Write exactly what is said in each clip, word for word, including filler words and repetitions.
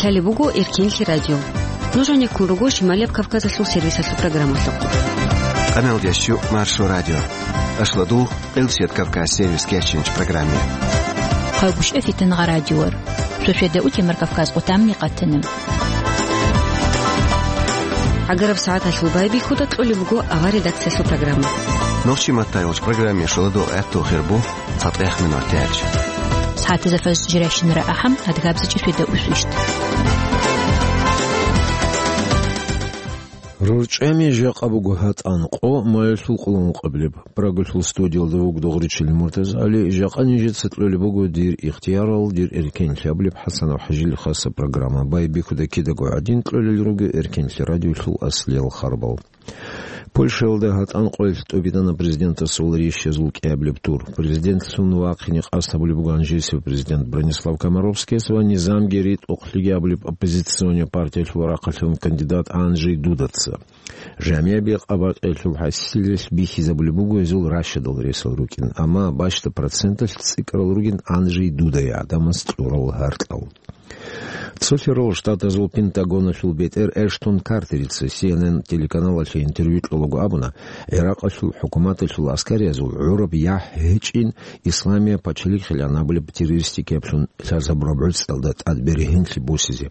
Лъалеб буго Эркенлъи радио. Нуж гьанеккун руго Шималияб Кавказалъул сервисалъул программалъухъ. Къамел ящу Маршо радио. Ашладул Къилсият Кавказ сервис кечинч программе. Хъайгъушев Фитангъа радиор. Шошеда утемар Кавказ къутамни къатана. Агараб сагӀаталъул байбихьуда кьолеб буго авар редакциялъул программа. Нохчи маттайолч программе шоладо гӀатту хирбу. ЦатӀехмин ватӀач. СагӀатазда фажр жирайщинара ахӀам, адгабзичӀи шведа усвищт. РорчӀами жакъа буго гьатӀан къо, маялъул къулун къаблеб. Прагалъул студиялда вуг Дугъричил МуртазагӀали, жакъа нижеца кьолеб буго дир ихтиярал, дир эркенлъи абулеб ХӀасанов ХӀажил хаса программа. Байбихьуда кидаго гӀадин кьолел руго Эркенлъи радиолъул аслиял харбал. Польшаялда гьатӀан къоялъ тӀубитӀана президентасул рещазул кӀиабилеб тур. Президентлъун вахъине къасд гьабулеб буго гьанжесев президент Бронислав Комаровскияс ва низамги ритӀухълъиги абулеб оппозиционный партиялъул рахъалъан кандидат Анджей Дудаца. Жамияб бекъа-бакъиялъул хӀасилалъ бихьизабулеб буго гьезул ращадал ресал рукӀин, амма бащда проценталъ цӀикӀкӀарал ругин Анджей Дудае гӀадамаз кьурал гьаркьал. Цолъарал Штатазул Пентагоналъул бетӀер Эштон Картерица Си Эн Эн телеканалалъе интервью кьолаго абуна, ГӀиракъалъул хӀукуматалъул аскариязул гӀураб яхӀ гьечӀин Исламияб пачалихъилан абулеб террористикаблъун лъазабураб гӀуцӀалда тӀад бергьенлъи босизе.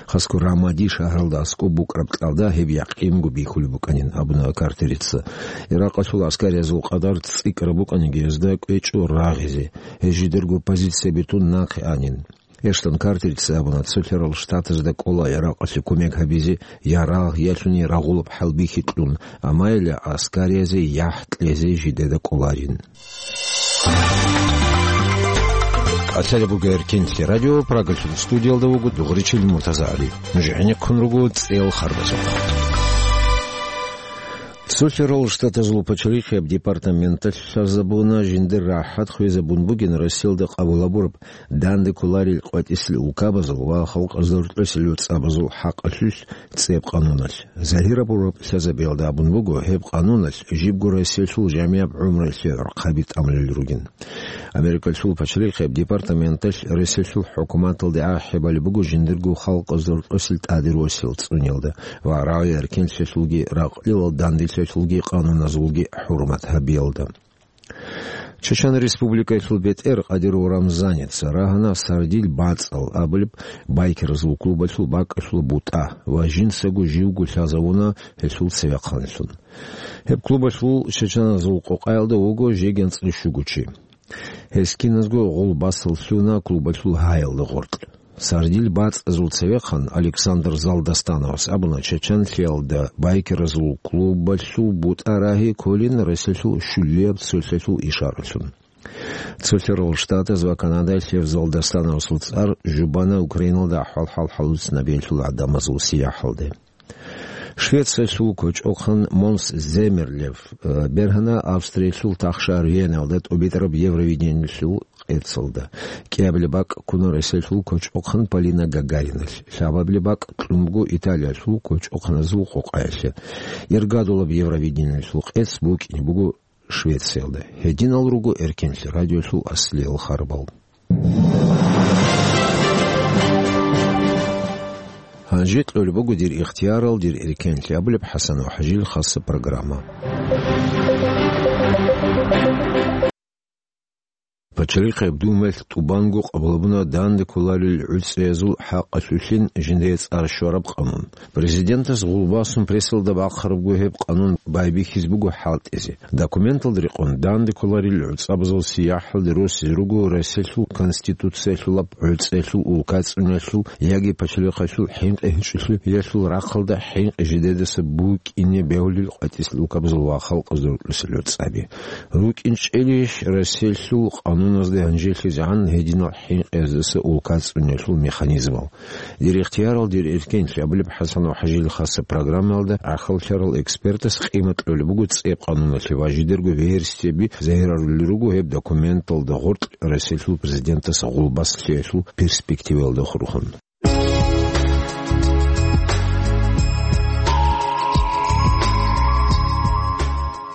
Хасго Рамади шагьаралда аскӀоб букӀараб кьалда гьеб якъинго бихьулеб букӀанин, абуна Картерица. ГӀиракъалъул аскариязул къадар цӀикӀкӀараб букӀаниги, гьезда кӀвечӀо рагъизе, гьез жидерго позиция битун нахъе анин. Эштон Картерица абуна, Цолъарал Штатазда кӀола ГӀиракъалъе кумек гьабизе, я рагъ, я лъугьине рагъулаб хӀалбихьи кьун, амма гьеле аскариязде яхӀ кьезе жидеда кӀоларин. Лъалеб буго Эркенлъи радио, Прагалъул студиялда вуго Дугъричил МуртазагӀали. Нуж гӀенеккун руго цӀел харбазухъ. Цолъарал Штатазул пачалихъияб департаменталъ лъазабуна жиндир рахӀат хвезабун бугин Россиялда къабул гьабураб данде кколарел къватӀисел улкабазул ва халкъазда рокьисел гӀуцӀабазул хӀакъалъулъ цӀеб къануналъ. Загьирабураб лъазабиялда абун буго, гьеб къануналъ жибго Россиялъул жамияб гӀумруялъе гӀорхъаби тӀамулел ругин. Америкалъул пачалихъияб департаменталъ Россиялъул хӀукуматалде ахӀи балеб буго жиндирго халкъазда рокьисел тӀаде росиялда цӀуниялда ва рагӀи-эркенлъиялъулги ракълилал данделъиялъулги къануназулги хӀурмат гьабиялда. Чечен Республикаялъул бетӀер Къадиров Рамзаница рагьана Сардил бацӀал абулеб байкеразул клубалъул бакӀалъул бутӀа ва жинцаго живго лъазавуна гьелъул цевехъанлъун. Гьеб клубалъул чеченазул къокъаялда вуго жеги анцӀила щуго чи. Гьез киназго гъулбасал лъуна клубалъул гьаялда гъоркь. Сардил бацӀазул цевехъан Александр Залдастановас абуна, чеченлъиялда байкеразул клубалъул бутӀа рагьи кколин Россиялъул щулияб цолъалъул ишаралъун. Цолъарал Штатаз ва Канадаялъ гьев Залдастановасул цӀар жубана Украиналда ахӀвал-хӀал хӀалуцинабиялъул гӀадамазул сияхӀалде. Швециялъул кочӀохъан Монс Земерлев, э, бергьана Австриялъул тахшагьар Веналда тӀубитӀараб Евровидениялъул къецалда. КӀиабилеб бакӀ ккуна Россиялъул кочӀохъан Полина Гагариналъ. Лъабабилеб бакӀ кьун буго Италиялъул кочӀохъаназул къокъаялъе. Иргадулаб Евровидениялъул къец букӀине буго Швециялда. Гьединал руго Эркенлъи радиолъул аслиял харбал. Гьанже кьолеб буго дир ихтиярал, дир эркенлъи абулеб ХӀасанов ХӀажил хаса программа. Пачалихъияб Думаялъ тӀубанго къабулабуна данде кколарел гӀуцӀиязул хӀакъалъулъин жиндие цӀар щвараб къанун. Президентас гъулбасун прессалда бахъарабго гьеб къанун байбихьизе буго хӀалтӀизе. Документалда рекъон данде кколарел гӀуцӀабазул сияхӀалде росизе руго Россиялъул Конституциялъулаб гӀуцӀиялъул, улкацӀцӀуниялъул яги пачалихъалъул хӀинкъи гьечӀолъиялъул рахъалда хӀинкъи жидедаса букӀине бегьулел къватӀисел улкабазул ва халкъазда рокьисел гӀуцӀаби. РукӀинчӀелищ Россиялъул къануназда гьанжелъизегӀан гьединал хӀинкъиздаса улкацӀцӀуниялъул механизмал? Дир ихтиярал, дир эркенлъи абулеб ХӀасанов ХӀажил хаса программаялда гӀахьаллъарал экспертас къимат кьолеб буго цӀеб къануналъе ва жидерго версияби загьирарулел руго гьеб документалда гъоркь Россиялъул президентас гъулбас лъиялъул перспективаялда хурхун.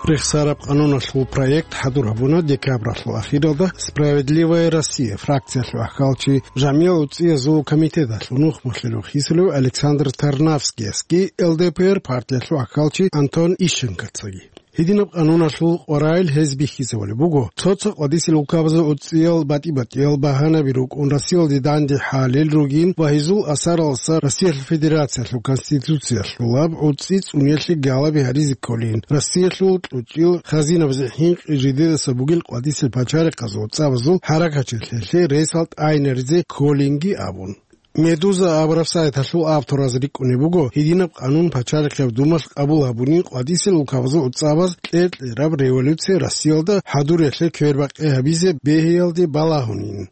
Рехсараб къануналъул проект хӀадур гьабуна декабралъул ахиралда «Справедливая Россия» фракциялъул ахкалчи, жамиял уцӀцӀиязул комитеталъул нухмалъулев хисулев Александр Тарнавскиясги Л Д П Р партиялъул ахкалчи Антон Ищенкоцаги. Гьединаб къануналъул къваригӀел гьез бихьизабулеб буго, цо-цо къвадисел улкабазул уцӀцӀиял батӀи-батӀиял багьанаби рукӀун Россиялде данде хӀалел ругин ва гьезул асаралдаса Россиялъул Федерациялъул Конституциялъулаб уцӀцӀи цӀуниялъе галаби гьаризе кколин, Россиялъул кьучӀил хазинабазе хӀинкъи жидедаса бугел къвадисел пачарихъазул цӀабазул хӀаракатчилъиялъе ресал тӀагӀинаризе кколинги абун. Медуза абураб сайталъул автораз рикӀкӀунеб буго, гьединаб къанун Пачалихъияб Думалъ къабул гьабунин къвадисел улкабазул уцӀцӀабаз кьер-кьераб революция Россиялда хӀадуриялъе квербакъи гьабизе бегьиялде балагьунин.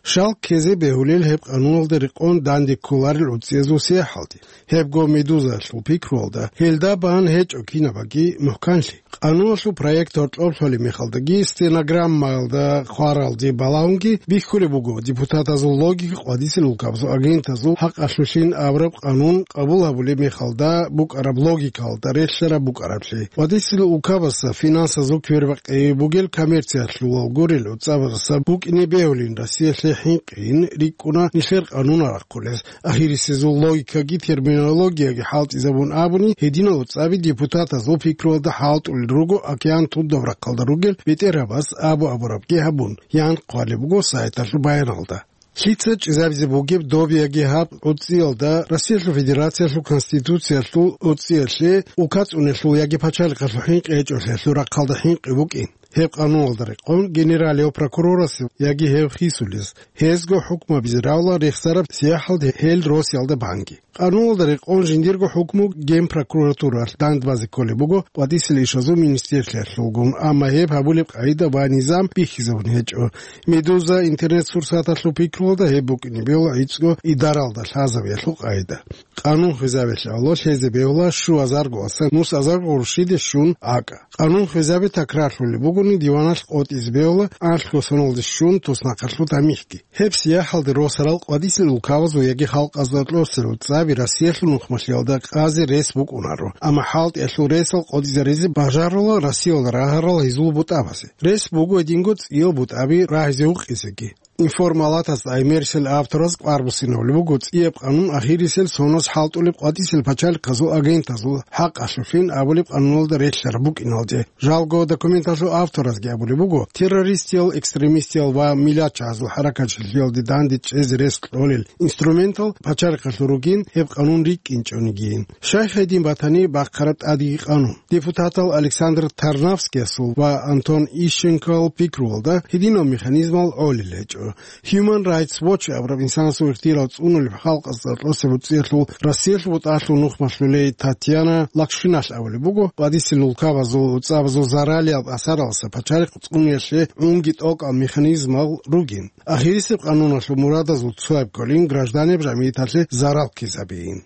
Щал ккезе бегьулел гьеб къануналда рекъон данде кколарел уцӀцӀиязул сияхӀалде. Гьебго Медузаялъул пикруялда, гьелда бан гьечӀо кинабаги мухӀканлъи. Къануналъул проект гьоркьоб лъолеб мехалдаги стенограммаялда хъваралде балагьунги бихьулеб буго депутатазул логика къвадисел улкабазул агентазул хӀакъалъулъин абураб къанун къабул гьабулеб мехалда букӀараб логикалда релълъараб букӀараблъи. Къвадисел улкабазда финансазул квербакъи бугел коммерциялъулал гурел уцӀцӀабаздаса букӀине бегьулин Россиялъе хӀинкъин рикӀкӀуна нилъер къанунал рахъулес. Ахирисезул логикаги терминологияги хӀалтӀизабун абуни, гьединал уцӀцӀаби депутатазул пикруялда хӀалтӀулел руго океан тудаб рахъалда ругел бетӀергьабаз абу-абурабги гьабун, ян хъвалеб буго сайталъул баяналда. Лъица чӀезабизе бугеб доб яги гьаб уцӀцӀиялда Россиялъул Федерациялъул Конституциялъул уцӀцӀиялъе улка цӀуниялъул яги пачалихъалъул хӀинкъи гьечӀолъиялъул рахъалда хӀинкъи букӀин. Гьеб къануналда рекъон генералияв прокурорасе яги гьев хисулез, гьезго хӀукмабизе равла рехсараб сияхӀалде гьел росиялда банги. Къануналда рекъон жиндирго хӀукму генпрокуратуралъ дандбазе кколеб буго къвадисел ишазул министрлъиялъулгун, амма гьеб гьабулеб къагӀида ва низам бихьизабун гьечӀо. Медуза интернет-сурсаталъул пикруялда гьеб букӀине бегьула гӀицӀго идаралда лъазабиялъул къагӀида. Къанун хвезабиялъе авлалъ гьезе бегьула щуазарго аса нусазарго гъурущиде щун акӀа. Къанун хвезаби такрарлъулеб бугони, диваналъ къотӀизе бегьула анлъго соналде щун туснахъалъул тамихӀги. Гьеб сияхӀалде росарал къвадисел улкабазул яги халкъазда кьосел уцӀцӀаби Россиялъул нухмалъиялда къазе рес букӀунаро, амма хӀалтӀиялъул ресал къотӀизаризе бажарула Россиялда рагьарал гьезул бутӀабазе. Рес буго гьединго цӀиял бутӀаби рагьизе вукъизеги. Информалатас гӀемерисел автораз кӀвар буссинабулеб буго цӀияб къанун ахирисел соналъ хӀалтӀулеб къватӀисел пачалихъазул агентазул хӀакъалъулъин абулеб къануналда релълъараб букӀиналде. Жалго документалъул авторазги абулеб буго, террористиял, экстремистиял ва миллатчагьазул хӀаракатчилъиялде данде чӀезе рес кьолел инструментал пачалихъалъул ругин гьеб къанун рикӀкӀинчӀонигийин. Щай гьедин батани бахъараб тӀадеги къанун. Депутатал Александр Тарнавскиясул ва Антон Ищенкоял пикруялда гьединал механизмал гӀолел гьечӀо. Human Rights Watch абураб инсанасул ихтияр цӀунулеб халкъазда кьосеб уцӀцӀиялъул Россиялъул бутӀалъул нухмалъулей Татьяна Лакшиналъ абулеб буго, къватӀисел улкабазул уцӀцӀабазул заралияб асаралдаса пачалихъ цӀуниялъе гӀунги тӀокӀал механизмал ругин. Ахирисеб къануналъул мурадазул цояб кколин гражданеб жамигӀаталъе зарал ккезабиин.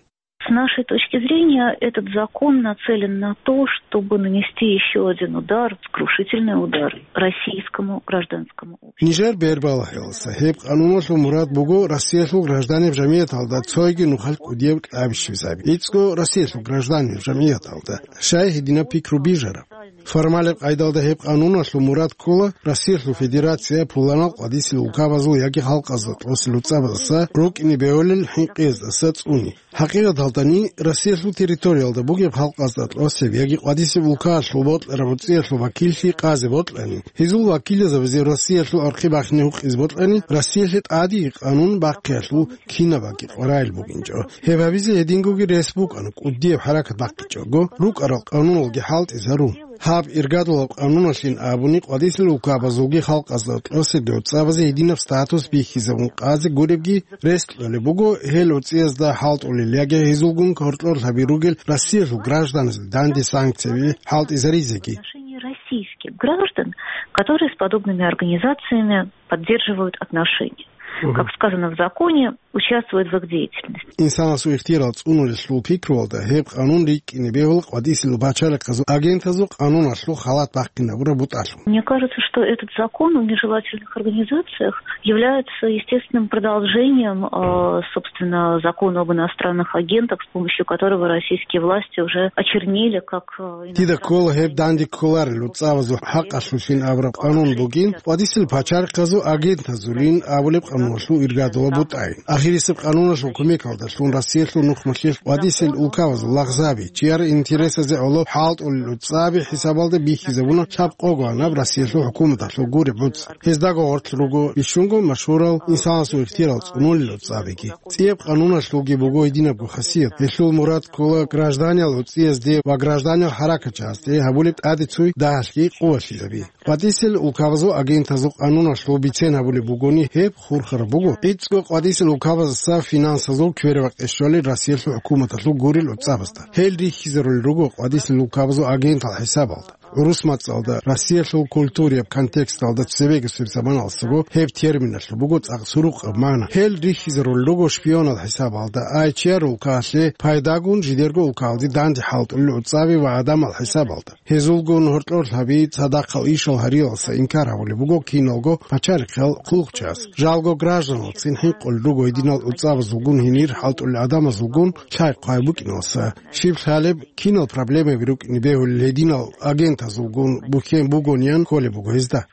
С нашей точки зрения, этот закон нацелен на то, чтобы нанести ещё один удар, сокрушительный удар российскому гражданскому обществу. Нижер бербала гьелса, гьеб къануналъул мурад буго Россиялъул гражданеб жамигӀаталда цойги нухалъ кӀудияб кьаби щвезаби. ГӀицӀго Россиялъул гражданеб жамигӀаталда щай гьединаб пикру бижараб? Формалеб къайдалда гьеб къануналъул мурад ккола Россиялъул Федерация пуланал къватӀисел улкабазул яги халкъазда кьосел уцӀцӀабаздаса рукӀине бегьулел хӀинкъиздаса цӀуни. ХӀакъикъаталдани, Россиялъул территориялда бугеб халкъазда кьосеб яги къватӀисеб улкаялъул бокьараб уцӀцӀиялъул вакиллъи къазе бокьани, гьезул вакилзабазе Россиялъул архъи бахине гьукъизе бокьани, Россиялъе тӀадеги къанун бахъиялъул кинабаги къваригӀел бугинчӀо. Гьеб гьабизе гьедингоги рес букӀана, кӀудияб хӀаракат бахъичӀого, рукӀарал къануналги хӀалтӀизарун. Гьаб иргадулаб къануналъин абуни, къватӀисел улкабазулги халкъазда кьосебги уцӀцӀабазе гьединаб статус бихьизабун къазе гуребги рес кьолеб буго, гьел уцӀцӀиязда хӀалтӀулел яги гьезулгун гьоркьор лъаби ругел Россиялъул гражданазда данде санкцияби хӀалтӀизаризеги. В отношении российских граждан, которые с подобными организациями поддерживают отношения. Мгм. Как сказано в законе, участвуют в их деятельности. Инсанасул ихтияр цӀунулелъул пикруялда гьеб къанун рикӀкӀине бегьула къватӀисел пачалихъазул агентазул къануналъул халат бахъинабураб бутӀалъун. Мне кажется, что этот закон о нежелательных организациях является естественным продолжением, э, собственно, закона об иностранных агентах, с помощью которого российские власти уже очернили как, э, Дида ккола гьеб данде кколарел луцӀабазул хӀакъалъулъин абураб къанун бугин, къватӀисел пачалихъазул агентазулин абулеб къануналъул иргадула бутӀайин. Ахирисеб къануналъул кумекалдалъун Россиялъул нухмалъил къватӀисел улкабазул лагъзаби, чияр интересазе гӀоло хӀалтӀулел луцӀаби хӀисабалда бихьизабуна лъабкъого анаб Россиялъул хӀукуматалъул гуреб гӀуцӀар. Гьездаго гъорлъ руго бищунго машгьурал инсанасул ихтияр цӀунулел луцӀабиги. ЦӀияб къануналъулги буго гьединабго хасият. Гьелъул мурад ккола гражданиял гӀуцӀиязде ва гражданиял хӀаракатчагьазде гьабулеб тӀадеццуй дагьалъги къувалъизаби. КъватӀисел улкабазул агентазул къануналъул бицен гьабулеб бугони, гьеб хурхараб буго. ГӀицӀго къватӀисел улкабаздаса финансазул квербакъи щолел Россиялъул хӀукуматалъул гурел луцӀабазда. Гьел рихьизарулел руго къватӀисел улкабазул агентал хӀисабалда. ГӀурус мацӀалда Россиялъул культураяб контексталда цебегасеб заманалдасаго гьеб терминалъул буго цӀакъ сурукъаб магӀна. Гьел рихьизарулел руго шпионал хӀисабалда, ай чияр улкаялъе пайдагун жидерго улкаялде данде хӀалтӀулел луцӀаби ва гӀадамал хӀисабалда. Гьезулгун гьоркьор лъаби цадахъал ишал гьариялдаса инкар гьабулеб буго киналго пачалихъал хъулухъчияс. Жалго гражданилцин хӀинкъулел руго гьединал луцӀабазулгун гьенир хӀалтӀулел гӀадамазулгун лъай-хъвай букӀиналдаса. Щиб лъалеб, кинал проблемаби рукӀине бегьулел гьединал агентазулгун бухьен бугониан кколеб буго гьезда.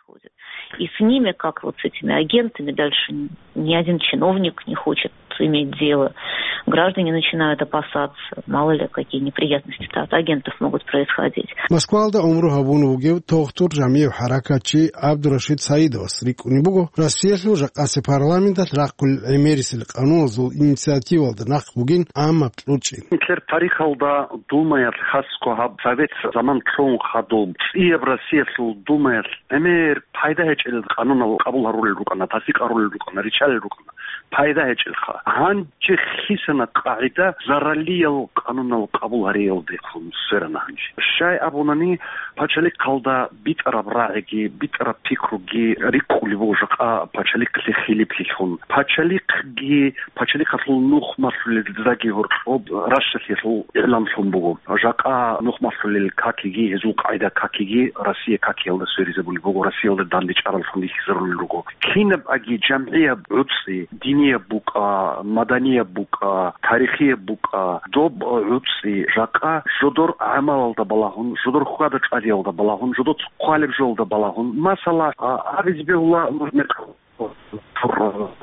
И с ними, как вот с этими агентами, дальше ни один чиновник не хочет иметь дело. Граждане начинают опасаться, мало ли какие неприятности от агентов могут происходить. Москвалда гӀумру гьабун вугев тогтур жамигӀ хӀаракатчи ГӀабдурашид Саидовас рикӀкӀунеб буго, Россиялъул жакъасеб парламенталъ рахъулел гӀемерисел къануналъул инициативалда нахъ бугин гӀаммаб кьучӀин. Гьелъ тарихалда Думаялъ, хасго гьаб Совет заман лъун хадуб, цӀияб Россиялъул Думаялъ гӀемер пайда гьечӀел къанунал къабул гьарулел рукӀана, тасдикъ гьарулел рукӀана, риччалел рукӀана, пайда гьечӀелха. Гьанже хисана къагӀида заралиял къанунал къабул гьариялдехун сверана гьанже. Щай абунани, пачалихъалда битӀараб рагӀиги, битӀараб пикруги рикӀкӀулеб буго жакъа пачалихълъи хилиплъилъун. Пачалихъги, пачалихъалъул нухмалъулел заги гьоркьоб Рашшалъиялъул игӀланлъун буго. Жакъа нухмалъулел какиги, гьезул къагӀида какиги Россия какиялда сверизабулеб буго, Россиялда дандечӀараллъун рихьизарулел руго. Кинаб аги жамгӀияб гӀуцӀи, динияб букӀа, маданияб букӀа, тарихияб букӀа, доб гӀуцӀи жакъа жодор гӀамалалда балагьун, жодор хьвада-чӀвадиялда балагьун, жодор цо хъвалеб жоялда балагьун. Масала, а, абизе бегьула, нуж мекъ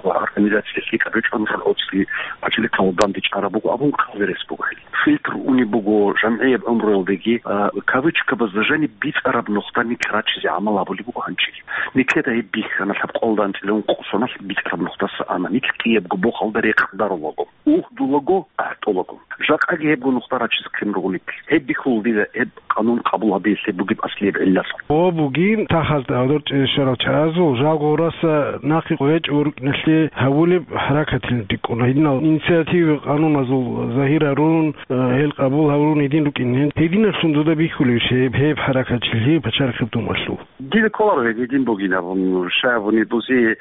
организация лъикӀаб гьечӀо, нужер гӀуцӀи пачалихъалда дандечӀараб буго абун хъалберес буго гьел. Фильтр унеб буго жамгӀияб гӀумруялдеги, а, кавычкабазда жаниб бицӀараб нухда нилъ рачизе гӀамал гьабулеб буго гьанжеги. Нилъеда гьеб бихьана лъабкъоялда анцӀила ункъо соналъ бицӀараб нухдаса ана, нилъ кӀиябго бохалда рекъдарулаго, угьдулаго, ахӀтӀулаго. Жакъаги гьебго нухда рачизе ккун руго нилъ. Гьеб бихьула дида гьеб къанун къабул гьабиялъе бугеб аслияб гӀиллалъун. О, бугин, тахазда гьадур чӀезешарал чагӀазул жал гъураса нахъе къвечӀо рукӀиналъе гьабулеб хӀаракатилан рикӀкӀуна. Гьединал инициатива къануназул загьир гьарун, э, гьел къабул гьарун гьедин рукӀин. Гьединалъун дуда бихьулебищ гьеб, гьеб хӀаракатчилъи пачалихъеб Думалъул? Дида кколаро гьедин бугин абун, щай абуни бузи,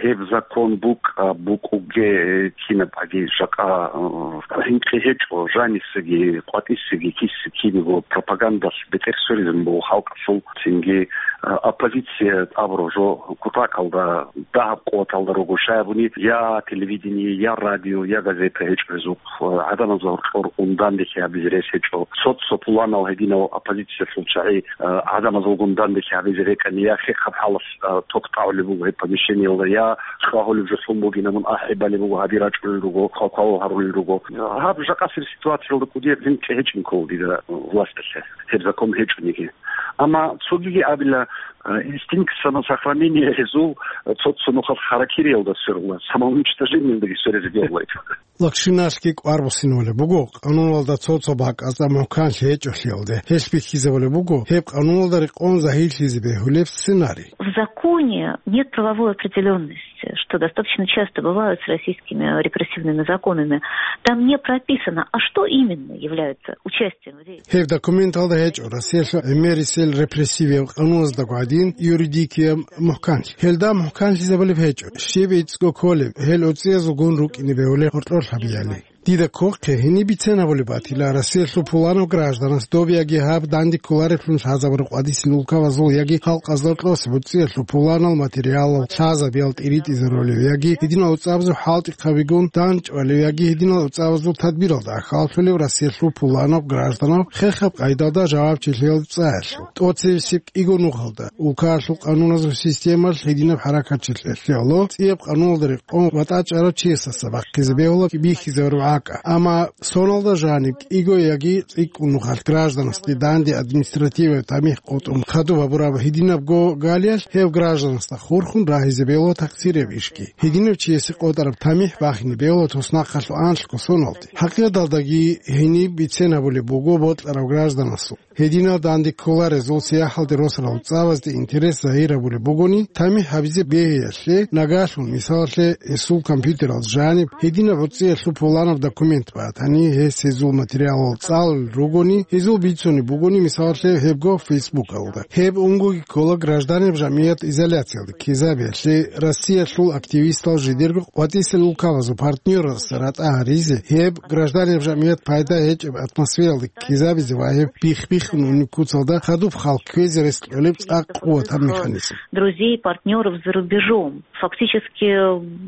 гьеб закон букӀа, букӀуге, кинаб аги жакъа, э, гьинкъи гьечӀо, жанисаги, къватӀисаги, киси кинего пропагандалъ бетӀер сверизабун буго халкъалъул, цинги, э, оппозиция абураб жо кутакалда, дагьаб къуваталда руго, щай абуни, я телевидение, я радио, я газета гьечӀо гьезухъ, э, гӀадамазда гьоркьор ун данделъи гьабизе рес гьечӀо. Цо-цо пуланал гьединал оппозициялъул чагӀи, э, гӀадамазулгун данделъи гьабизе рекӀани, я хехаб хӀалалъ, э, ток тӀагӀулеб буго гьеб помещениялда, я хьвагьулеб жо лъун бугин абун ахӀи балеб буго, гьаби рачӀунел руго, хъвал-хъвалал гьарулел руго. Гьаб жакъасеб ситуациялда кӀудияб гьинкъи гьечӀин ккола дида власталъе, гьеб закон гьечӀониги. Амма цогиги абила, э, инстинкт самосохранения гьезул, э, цо-цо нухалъ харакириялда сверула, самоуничтожениялдаги сверизе бегьулайчӀо. Лакшиналъги кӀвар буссинавулеб буго, къануналда цо-цо бакӀазда мухӀканлъи гьечӀолъиялде. Гьелъ бихьизабулеб буго гьеб къануналда рекъон загьирлъизе бегьулеб сценарий. В законе нет правовой определённости. что достаточно часто бывают с российскими репрессивными законами, там не прописано, а что именно является участием в рейде. Гьеб документалда гьечӀо Россиялъул гӀемерисел репрессивияб къануназдаго гӀадин юридикияб мухӀканлъи. Гьелда мухӀканлъизабулеб гьечӀо, щиб гӀицӀго кколеб, гьел уцӀцӀиязулгун рукӀине бегьулеб гъоркьор лъабиялъе. Дида кколеб гьениб бицен гьабулеб батила, Россиялъул пуланав гражданас доб яги гьаб данде кколареблъун лъазабураб къватӀисел улкабазул яги халкъазда кьосеб уцӀцӀиялъул пуланал материалал лъазабиял тӀиритӀизарулев яги гьединал уцӀцӀабазул хӀалтӀихъабигун данчӀвалев яги гьединал уцӀцӀабазул тадбиралда ахӀаллъулев Россиялъул пуланав гражданав хехаб къайдалда жавабчилъиялда цӀаялъул. ТӀоцебесеб кӀиго нухалда, улкаялъул къануназул системалъ гьединаб хӀаракатчилъиялъе гӀоло, цӀияб къануналда рекъон ва тӀачӀарав чиясдаса бахъизе бегьула бихьизарураб гӀакъа. Амма соналда жаниб кӀиго яги цӀикӀкӀун нухалъ гражданасде данде административаб тамихӀ къотӀун хадуб гьабураб гьединабго галиялъ гьев гражданасда хурхун рагьизе бегьула такъсирияб ишги. Гьединав чиясе къотӀараб тамихӀ бахине бегьула туснахъалъул анлъго соналде. ХӀакъикъаталдаги гьениб бицен гьабулеб буго бокьарав гражданасул. Гьединал данде кколарезул сияхӀалде росарал цӀабазде интерес загьир гьабулеб бугони, тамихӀ гьабизе бегьиялъе, нагагьлъун, мисалалъе, гьесул компьютералда жаниб гьединаб гӀуцӀиялъул пуланаб документ батани, гьес гьезул материалал цӀалулел ругони, гьезул бицунеб бугони, мисалалъе, гьебго Фейсбукалда. Гьеб унгоги ккола гражданин жамгӀият изоляциялде ккезабиялъе, Россиялъул активистал жидерго къватӀисел улкабазул партнёрасда ратӀа гьаризе, гьеб гражданин жамгӀият пайда гьечӀеб атмосфералде ккезабизе ва гьеб бих-биххун унеб куцалда хадуб хал кквезе рес кьолеб цӀакъ къуватаб механизм. Друзей, партнёров за рубежом. Фактически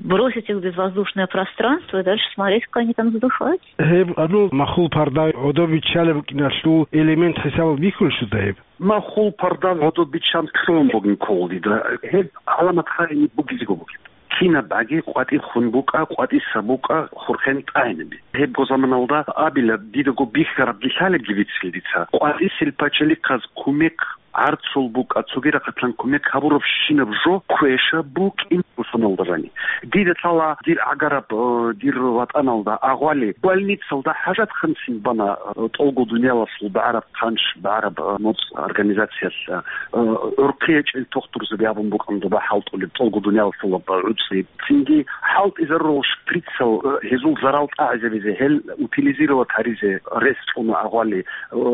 бросить их в безвоздушное пространство и дальше смотреть, как они там задыхаются. Гьеб гьанул махул парда гӀодов биччалеб букӀиналъул элемент хӀисабалде бихьулищ дуда гьеб? Махул парда гӀодов биччан лъугьун бугин ккола дида. Гьеб гӀаламат гьарин бугезего бугеб. Кинаб аги къватӀир хун букӀа, къватӀиса букӀа, хурхен тӀагӀинаби. Гьебго заманалда абила, дидаго бихьарабги лъалебги бицин дица. КъватӀисел пачалихъаз кумек гӀарцул букӀа, цоги рахъалъан кумек гьабуравщинаб жо квеша букӀин бусаналда рани. Дида лъала дир гӀагараб, э, дир ватӀаналда агъвали, больницалда хӀажатханцин бана, э, тӀолго дуниялалъул багӀараб хъанч, багӀараб, э, моцӀ организациялъ, э, гӀурхъи гьечӀел тухтурзаби абун букӀан доба хӀалтӀулеб тӀолго дуниялалъул гӀуцӀи. Цинги хӀалтӀизарурал шприцал, э, гьезул зарал тӀагӀизабизе, гьел утилизировать гьаризе рес цӀуна агъвали, э,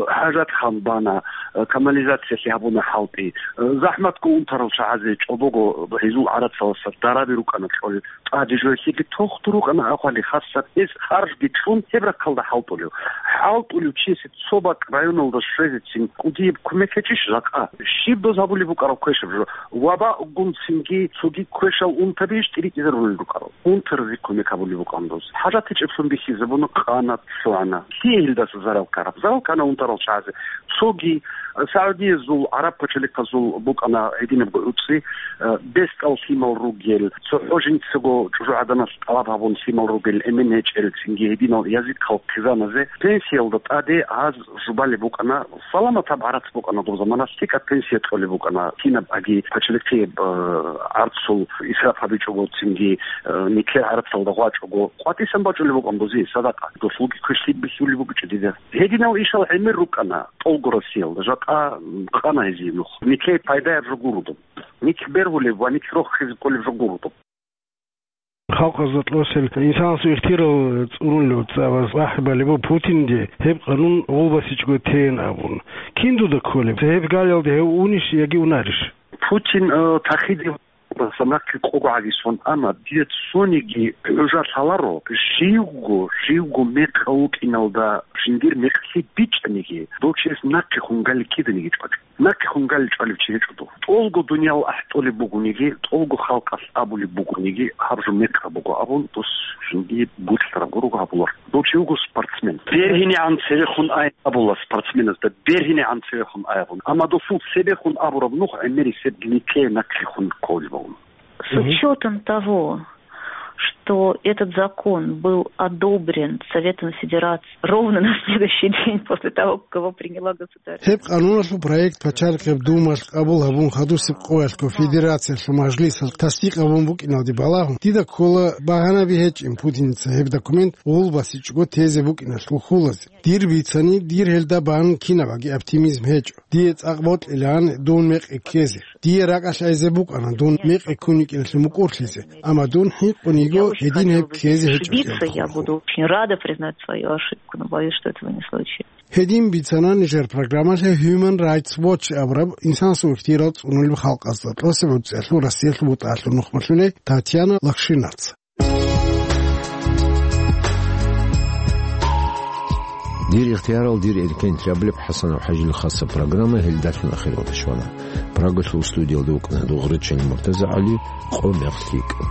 хӀажатхан бана, э, канализациялъе гьабуна хӀалтӀи. Э, захӀматго унтарал чагӀазе чӀобого гьезул гӀарацаласа дараби рукӀана кьолел. ТӀаде жо гьелъиги тухтур рукӀана агъвали, хасаб гьез харжги чӀун гьеб рахъалда хӀалтӀулев. ХӀалтӀулев чиясе цо бакӀ районалда щвезецин кӀудияб кумек гьечӀищ жакъа? Щиб доз гьабулеб букӀараб квешаб жо? Ваба гун цинги цоги квешал унтабищ тӀиритӀизарулел рукӀарал? Унтарзи кумек гьабулеб букӀан доз. ХӀажат гьечӀеблъун бихьизабуна, къана, лъугӀана. Лъие гьелдаса зарал ккараб? Зарал ккана унтарал чагӀазе. Цоги Саудиязул, гӀараб пачалихъазул букӀана гьединабго гӀуцӀи, э, бесдал лъимал ругел, цохӀо жинцаго чӀужугӀаданалъ тӀалаб гьабун лъимал ругел, эмен гьечӀел, цинги гьединал язихъал хъизаназе пенсиялда тӀаде гьаз жубалеб букӀана, саламатаб гӀарац букӀана доб заманалъ, лъикӀаб пенсия кьолеб букӀана, кинаб аги пачалихъияб, э, гӀарцул исраф гьабичӀого, цинги, э, нилъер гӀарацалда гъвачӀого, къватӀисан бачӀулеб букӀан бузи, садакъа, досулги квешлъи бихьулеб букӀичӀо дида. Гьединал ишал гӀемер рукӀана. ТӀолго Россиялда жакъа къана гьезие нух. Нилъее пайдаяб жо гуро доб. Нилъ бергьулеб ва нилъ рохизе кколеб жо гуро доб. Халкъазда кьосел инсанасул ихтияр цӀурулев цӀабаз ахӀи балеб буго Путинде гьеб къанун гъулбасичӀого тейин абун. Кин дуда кколеб? Гьеб галиялде гьев унищ яги унарищ? Путин, э, тахиде Нахъе къого гӀагисон, амма дие цониги гӀужа лъаларо, живго, живго мекъав вукӀиналда жиндир мекълъи бичӀчӀаниги, дов чияс нахъе хунгали киданиги чӀвачӀо. Нахъе хунгали чӀвалев чи гьечӀо дов. ТӀолго дуниял ахӀтӀолеб бугониги, тӀолго халкъалъ абулеб бугониги, гьаб жо мекъаб буго абун, дос жиндие бокьараб гурого гьабулар. Дов чи вуго спортсмен. БергьинегӀан цевехун ай абула спортсменазда, бергьинегӀан цевехун ай абун. Амма досул цебехун абураб нух гӀемерисеб нилъее нахъехун кколеб бугун. С Мгм. учётом того, что этот закон был одобрен Советом Федерации ровно на следующий день после того, как его приняла государственная Гьеб къануналъул проект пачалихъеб Думалъ къабул гьабун, хадусеб къоялъго Федерациялъул мажлисалъ тасдикъ гьабун букӀиналде балагьун, дида ккола багьанаби гьечӀин Путиница гьеб документ гъулбасичӀого тезе букӀиналъул хьулазе. Дир бицани, дир гьелда бан кинабаги оптимизм гьечӀо. Дие цӀакъ бокьилаан дун мекъи ккезе. Дие ракӀалъ айзе букӀана дун мекъи ккун йикӀиналъе мукӀурлъизе, амма дун хӀинкъун йиго гьедин гьеб ккезе гьечӀо кӀелдалъун. Буду очень рада признать свою ошибку, но боюсь, что этого не случится. Гьедин бицана нижер программалъе Human Rights Watch абураб инсанасул ихтияр цӀунулеб халкъазда тӀоцебе гӀуцӀиялъул Россиялъул бутӀаялъул нухмалъулей Татьяна Лакшинаца. Дир ихтиярал, дир эркен, лъабабилеб ХӀасанов ХӀажил хасаб программа гьелдалъун ахиралде щвана. Прагалъул студиялда вукӀана Дугърачил МуртазагӀали, къо мехлъи кӀан.